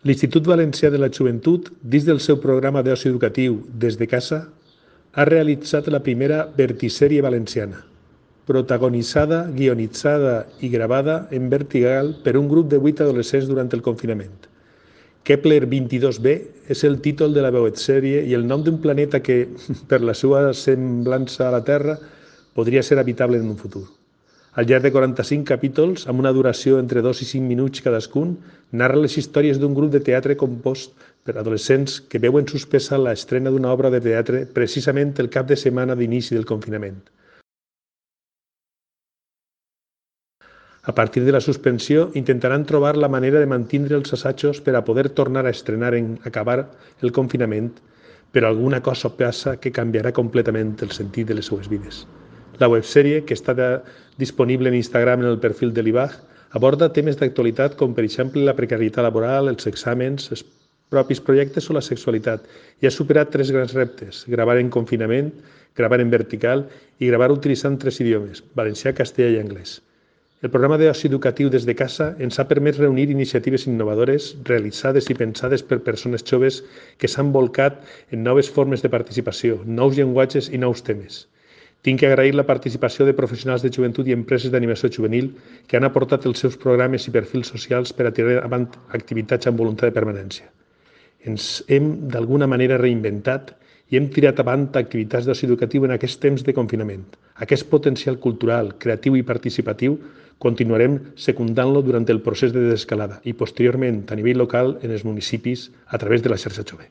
L'Institut Valencià de la Joventut, dins del seu programa d'oci educatiu Des de Casa, ha realitzat la primera vertisèrie valenciana, protagonitzada, guionitzada i gravada en vertical per un grup de 8 adolescents durant el confinament. Kepler 22b és el títol de la websèrie i el nom d'un planeta que, per la seva semblança a la Terra, podria ser habitable en un futur. Al llarg de 45 capítols, amb una duració entre 2 i 5 minuts cadascun, narra les històries d'un grup de teatre compost per adolescents que veuen suspesa l'estrena d'una obra de teatre precisament el cap de setmana d'inici del confinament. A partir de la suspensió, intentaran trobar la manera de mantindre els assajos per a poder tornar a estrenar en acabar el confinament, però alguna cosa passa que canviarà completament el sentit de les seues vides. La websèrie, que està disponible en Instagram en el perfil de l'IBAG, aborda temes d'actualitat com, per exemple, la precarietat laboral, els exàmens, els propis projectes o la sexualitat, i ha superat 3 grans reptes: gravar en confinament, gravar en vertical i gravar utilitzant 3 idiomes, valencià, castellà i anglès. El programa d'oci educatiu Des de Casa ens ha permès reunir iniciatives innovadores realitzades i pensades per persones joves que s'han bolcat en noves formes de participació, nous llenguatges i nous temes. Tinc que agrair la participació de professionals de joventut i empreses d'animació juvenil que han aportat els seus programes i perfils socials per a tirar avant activitats amb voluntat de permanència. Ens hem d'alguna manera reinventat i hem tirat avant activitats d'oci educatiu en aquest temps de confinament. Aquest potencial cultural, creatiu i participatiu continuarem secundant-lo durant el procés de desescalada i posteriorment a nivell local en els municipis a través de la xarxa jove.